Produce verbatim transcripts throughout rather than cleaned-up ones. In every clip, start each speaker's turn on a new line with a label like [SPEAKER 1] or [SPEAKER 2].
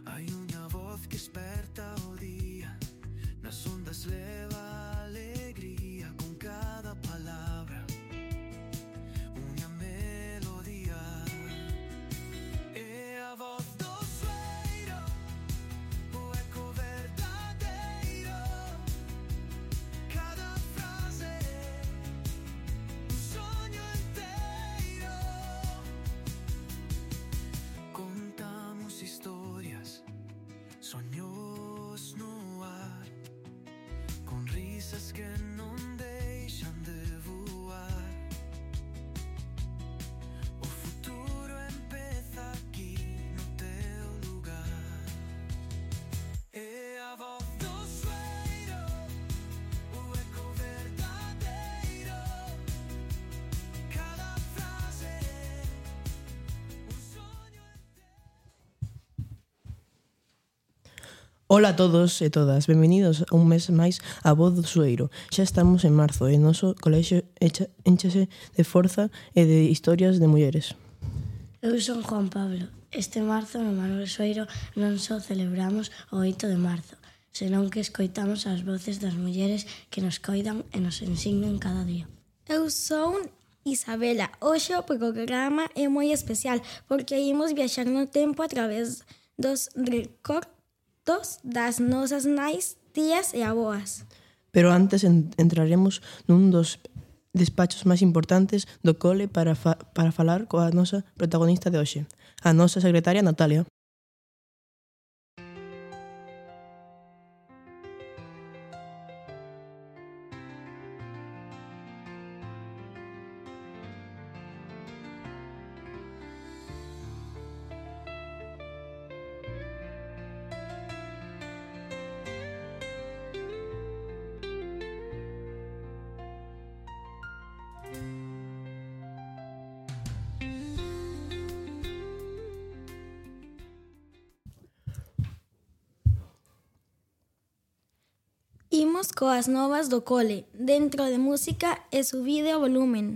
[SPEAKER 1] Hai unha voz que esperta o día, nas ondas leva alegría con cada palabra, unha melodía. É a voz do sueiro, o eco verdadeiro. Cada frase un soño inteiro. Contamos historias, soños no ar, con risas que non deixan de voar. O futuro empeza aquí no teu lugar. É a voz do sueiro, o eco verdadeiro. Cada frase un soño inteiro.
[SPEAKER 2] Ola a todos e todas, benvenidos a un mes máis a Voz do Sueiro. Xa estamos en marzo e o noso colexio echa- énchase de forza e de historias de mulleres.
[SPEAKER 3] Eu son Juan Pablo. Este marzo no Manuel Sueiro non só celebramos o oito de marzo, senón que escoitamos as voces das mulleres que nos coidan e nos ensinan cada día.
[SPEAKER 4] Eu son Isabela. Hoxe o programa é moi especial porque imos viaxar no tempo a través dos recordos das nosas nais, tías e avoas.
[SPEAKER 2] Pero antes en- entraremos nun dos despachos máis importantes do cole para, fa- para falar coa nosa protagonista de hoxe, a nosa secretaria Natalia.
[SPEAKER 4] Imos coas novas do cole, dentro de música e subide o volumen.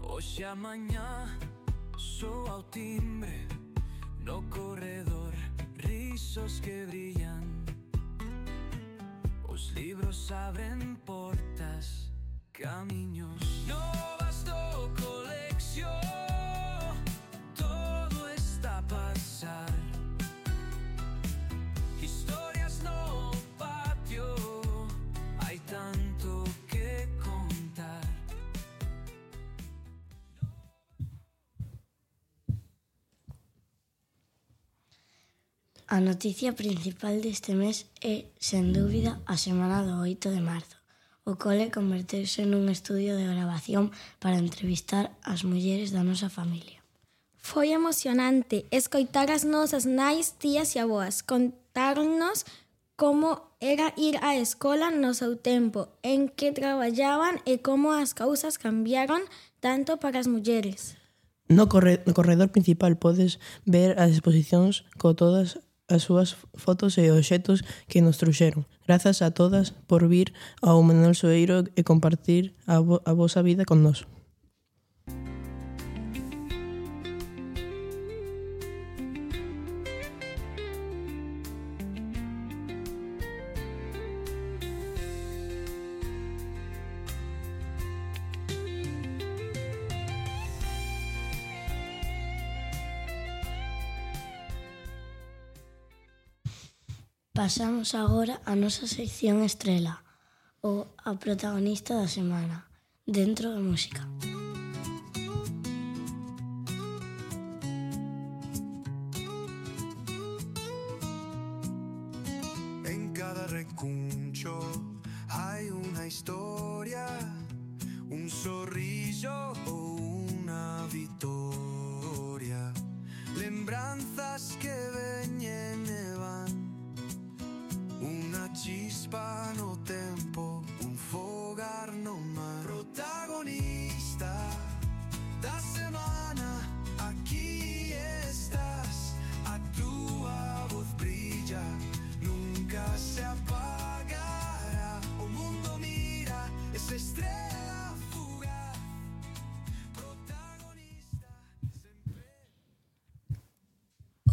[SPEAKER 1] Hoxe a mañá soa o timbre no corredor, risos que brillan. Os libros abren portas, camiños novas do colexio. Todo está a pasar, historias no patio, hai tanto que contar.
[SPEAKER 3] A noticia principal deste mes é, sen dúbida, a semana do oito de marzo. O cole converteuse nun estudio de gravación para entrevistar as mulleres da nosa familia.
[SPEAKER 4] Foi emocionante escoitar as nosas nais, tías e avoas. Contarnos como era ir á escola no seu tempo, en que traballaban e como as cousas cambiaron tanto para as mulleres.
[SPEAKER 2] No, corre- no corredor principal podes ver as exposicións co todas as súas fotos e obxetos que nos trouxeron. Grazas a todas por vir ao Manuel Sueiro e compartir a, vo- a vosa vida con nós.
[SPEAKER 3] Pasamos agora a nosa sección estrela, o a protagonista da semana, dentro da música.
[SPEAKER 1] En cada recuncho hai unha historia, un sorriso ou unha vitoria, lembranzas que veñen e van, unha chispa no tempo, un fogar no mar. Protagonista da semana, aquí está.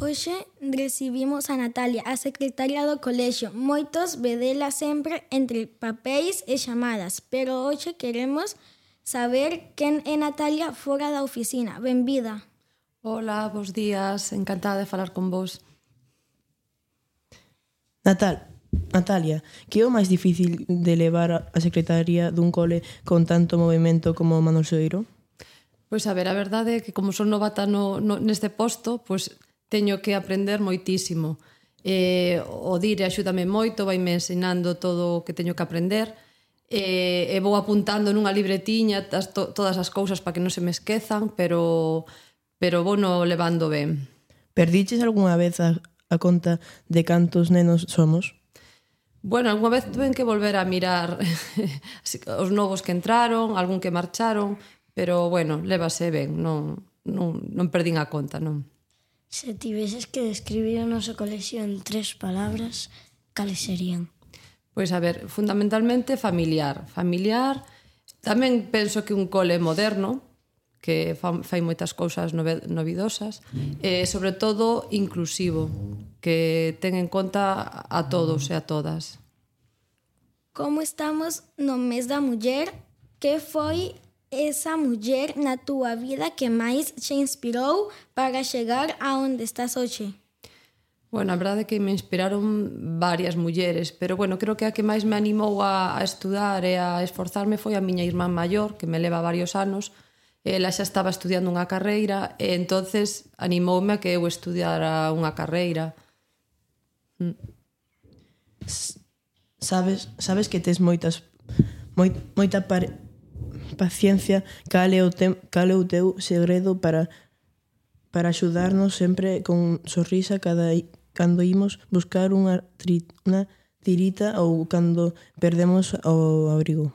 [SPEAKER 4] Hoxe recibimos a Natalia, a secretaria do colexio. Moitos vedela sempre entre papéis e chamadas, pero hoxe queremos saber quen é Natalia fora da oficina. Benvida.
[SPEAKER 5] Hola, bons días, encantada de falar con vos.
[SPEAKER 2] Natal, Natalia, que é o máis difícil de levar a secretaría dun cole con tanto movimento como Manuel Soeiro?
[SPEAKER 5] Pois a ver, a verdade é que como son novata no, no, neste posto, pois teño que aprender moitísimo. Eh, o Dire axúdame moito, vaime ensinando todo o que teño que aprender, eh, e vou apuntando nunha libretiña tas, to, todas as cousas para que non se me esquezan, pero, pero vou no levando ben.
[SPEAKER 2] Perdiches algunha vez a, a conta de cantos nenos somos?
[SPEAKER 5] Bueno, algunha vez tuve que volver a mirar os novos que entraron, algún que marcharon, pero, bueno, lévase ben, non, non, non perdín a conta, non.
[SPEAKER 3] Se tiveses que describir o noso colexio en tres palabras, cales serían?
[SPEAKER 5] Pois, a ver, fundamentalmente familiar. Familiar, tamén penso que un cole moderno, que fai moitas cousas novidosas, e, sobre todo, inclusivo, que ten en conta a todos e a todas.
[SPEAKER 4] Como estamos no mes da muller, que foi esa muller na túa vida que máis te inspirou para chegar a onde estás hoxe?
[SPEAKER 5] Bueno, a verdade é que me inspiraron varias mulleres, pero, bueno, creo que a que máis me animou a, a estudar e a esforzarme foi a miña irmán maior, que me leva varios anos. Ela xa estaba estudiando unha carreira e entonces animoume a que eu estudiara unha carreira.
[SPEAKER 2] Sabes, sabes que tes moitas moi, moita pare... paciencia, cal é o, te, cal é o teu segredo para para axudarnos sempre con sorrisa cada cando imos buscar unha, tri, unha tirita ou cando perdemos o abrigo?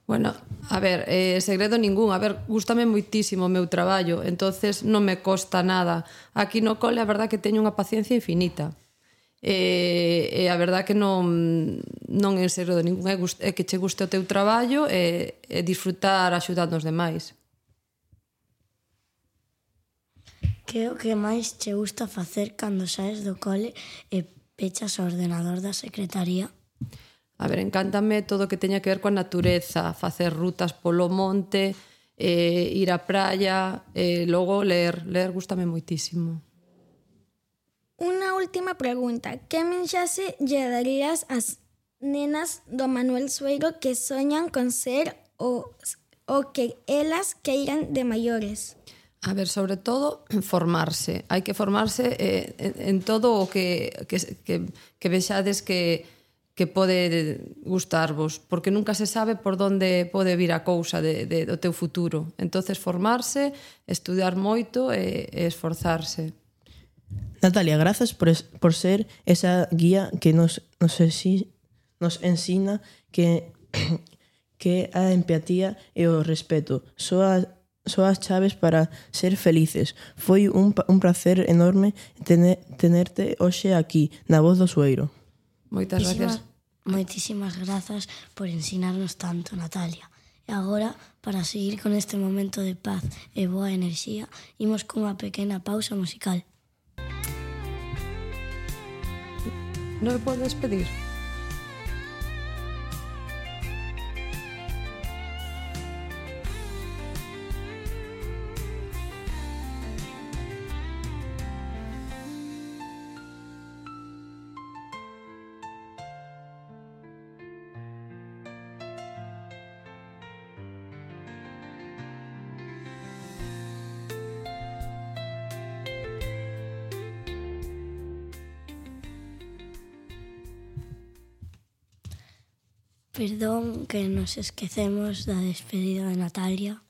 [SPEAKER 5] Bueno, a ver, eh, segredo ningún. A ver, gústame moitísimo o meu traballo, entonces non me costa nada. Aquí no cole a verdad que teño unha paciencia infinita. E, e a verdad que non non é segredo ningún, é, gust, é que che guste o teu traballo e, e disfrutar axudando os demais.
[SPEAKER 3] Que é o que máis che gusta facer cando saes do cole e pechas o ordenador da secretaría?
[SPEAKER 5] A ver, encántame todo o que teña que ver coa natureza, facer rutas polo monte, eh, ir á praia, e eh, logo ler, ler gústame moitísimo.
[SPEAKER 4] Unha última pregunta. Que mensaxe lle darías ás nenas do Manuel Soeiro que soñan con ser o, o que elas queiran de maiores?
[SPEAKER 5] A ver, sobre todo, formarse. Hai que formarse eh, en, en todo o que, que, que, que vexades que, que pode gustarvos, porque nunca se sabe por onde pode vir a cousa de, de, do teu futuro. Entonces, formarse, estudiar moito e, e esforzarse.
[SPEAKER 2] Natalia, grazas por, es, por ser esa guía que nos, nos, exi, nos ensina que, que a empatía e o respeto son as, son as chaves para ser felices. Foi un, un placer enorme tener, tenerte hoxe aquí, na Voz do Soeiro.
[SPEAKER 5] Moitas gracias.
[SPEAKER 3] Moitísimas grazas por ensinarnos tanto, Natalia. E agora, para seguir con este momento de paz e boa enerxía, imos cunha pequena pausa musical.
[SPEAKER 5] Non me podes pedir?
[SPEAKER 3] Perdón que nos esquecemos da despedida de Natalia.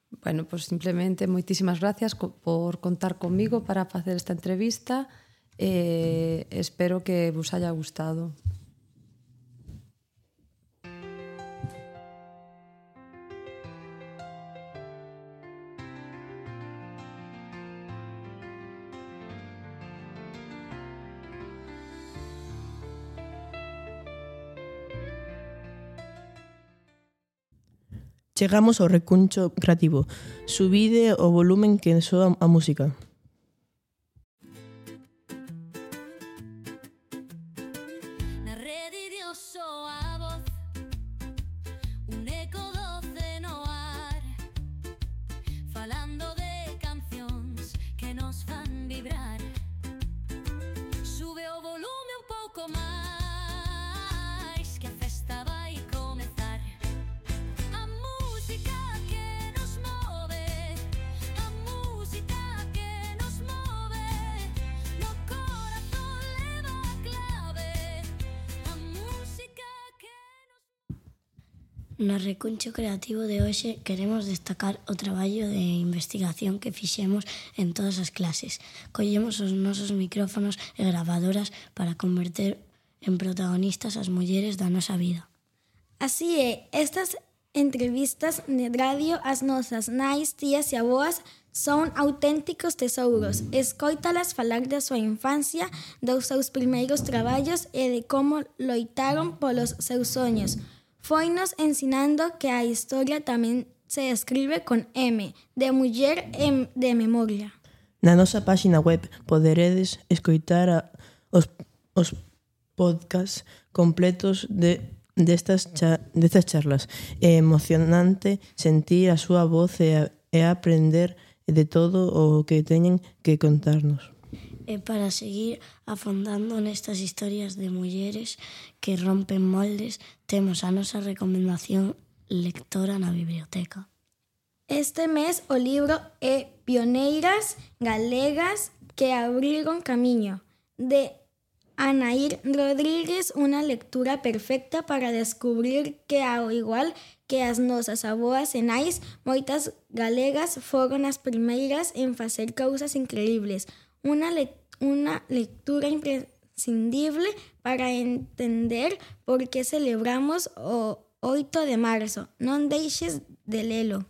[SPEAKER 5] Bueno, pues simplemente moitísimas gracias co- por contar comigo para facer esta entrevista e eh, espero que vos haya gustado.
[SPEAKER 2] Chegamos ao recuncho creativo. Subide o volumen que soa a música.
[SPEAKER 3] No recuncho creativo de hoxe queremos destacar o traballo de investigación que fixemos en todas as clases. Collemos os nosos micrófonos e gravadoras para converter en protagonistas as mulleres da nosa vida.
[SPEAKER 4] Así é, estas entrevistas de radio ás nosas nais, tías e aboas son auténticos tesouros. Escoítalas falar da súa infancia, dos seus primeiros traballos e de como loitaron polos seus soños. Foinos ensinando que a historia tamén se escribe con M, de muller e de memoria.
[SPEAKER 2] Na nosa páxina web poderedes escoitar a, os, os podcasts completos de, destas, cha, destas charlas. É emocionante sentir a súa voz e, a, e aprender de todo o que teñen que contarnos.
[SPEAKER 3] E para seguir afondando nestas historias de mulleres que rompen moldes, temos a nosa recomendación lectora na biblioteca.
[SPEAKER 4] Este mes o libro é Pioneiras Galegas que abriron camiño, de Anaír Rodríguez, unha lectura perfecta para descubrir que ao igual que as nosas aboas e nais, moitas galegas foron as primeiras en facer cousas increíbles. Unha, le- unha lectura imprescindible para entender por que celebramos o oito de marzo. Non deixes de lelo.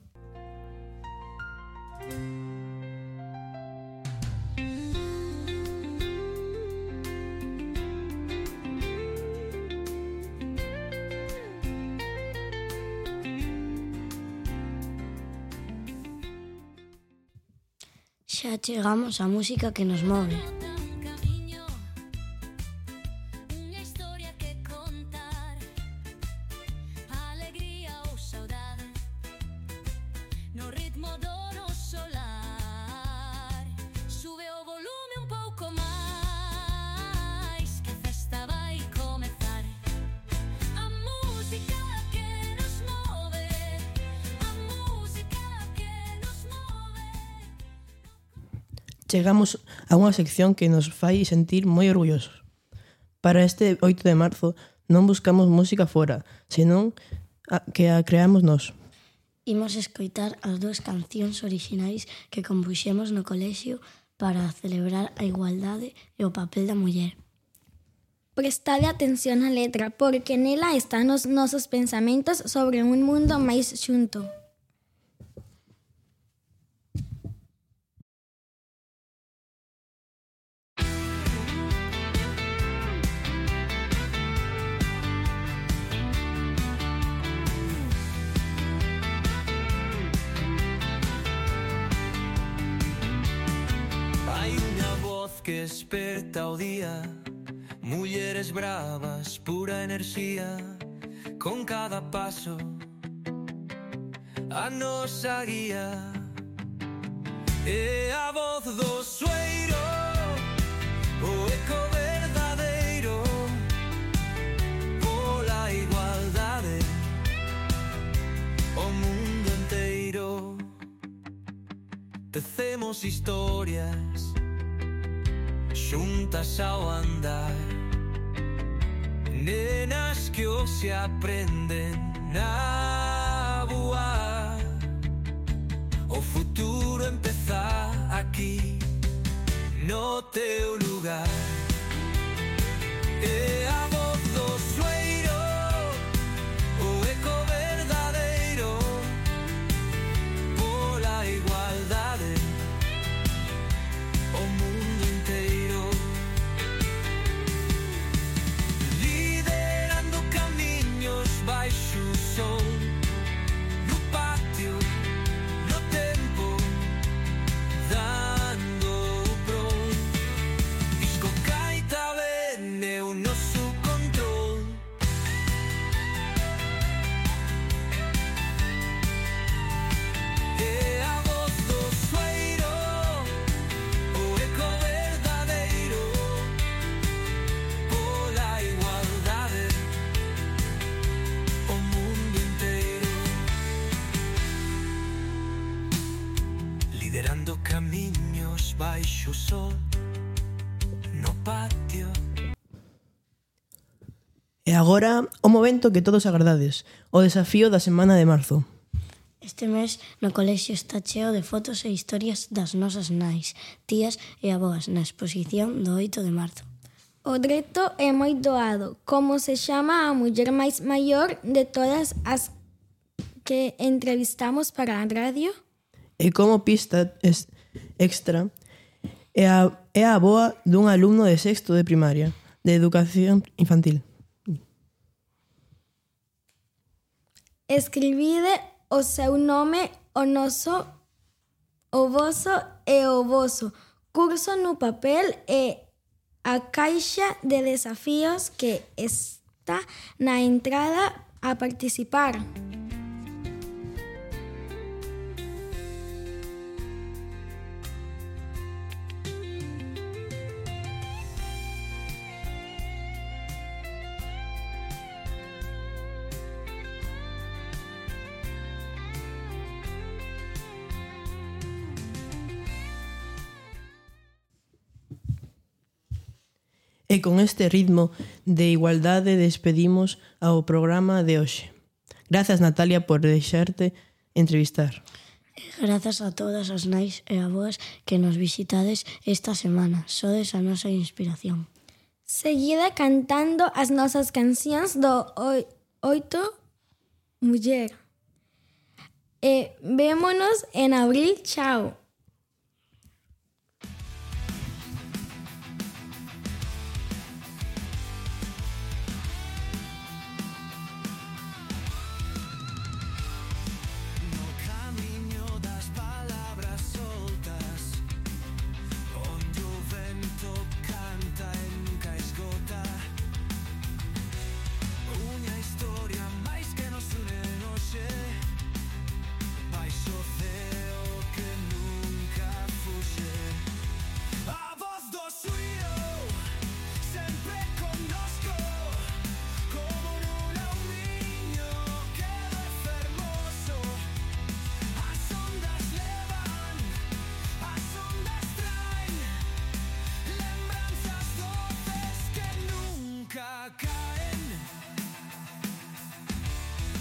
[SPEAKER 3] Xa chegamos á música que nos move.
[SPEAKER 6] Unha historia que contar, alegría ou saudade, no ritmo do noso lar. Sube o volume un pouco máis, que a festa vai comezar. A música que nos move, a música que nos move.
[SPEAKER 2] Chegamos a unha sección que nos fai sentir moi orgullosos. Para este oito de marzo non buscamos música fora, senón a, que a creamos nós.
[SPEAKER 3] Imos escoitar as dúas cancións orixinais que compuxemos no colexio para celebrar a igualdade e o papel da muller.
[SPEAKER 4] Prestade atención á letra, porque nela están os nosos pensamentos sobre un mundo máis xunto.
[SPEAKER 1] Hai unha voz que esperta o día, mulleres bravas, pura enerxía, con cada paso a nosa guía. É a voz do sueiro, o eco verdadeiro, pola igualdade, o mundo enteiro. Tecemos historias xuntas ao andar, nenas que hoxe se aprenden a voar. O futuro empeza aquí, no teu lugar. É a voz do sueiro, o eco verdadeiro, pola igualdade, o mundo inteiro. Liderando camiños baixo o sol, no patio, no tempo, dando o pron. Disco caita ben é o noso control. É a voz do sueiro, o eco verdadeiro, pola igualdade, o mundo inteiro. Liderando camiños baixo o sol, no patio.
[SPEAKER 2] E agora, o momento que todos agardades, o desafío da semana de marzo.
[SPEAKER 3] Este mes no colexio está cheo de fotos e historias das nosas nais, tías e avoas na exposición do oito de marzo.
[SPEAKER 4] O reto é moi doado. Como se chama a muller máis maior de todas as que entrevistamos para a radio?
[SPEAKER 2] E como pista es extra, é a, é a avoa dun alumno de sexto de primaria, de educación infantil.
[SPEAKER 4] Escribide o seu nome, o noso, o voso e o voso curso no papel e a caixa de desafíos que está na entrada a participar.
[SPEAKER 2] E con este ritmo de igualdade despedimos ao programa de hoxe. Grazas, Natalia, por deixarte entrevistar.
[SPEAKER 3] Grazas a todas as nais e avoas que nos visitades esta semana. Sodes a nosa inspiración.
[SPEAKER 4] Seguida cantando as nosas cancións do oi- oito muller. E vémonos en abril. Chao.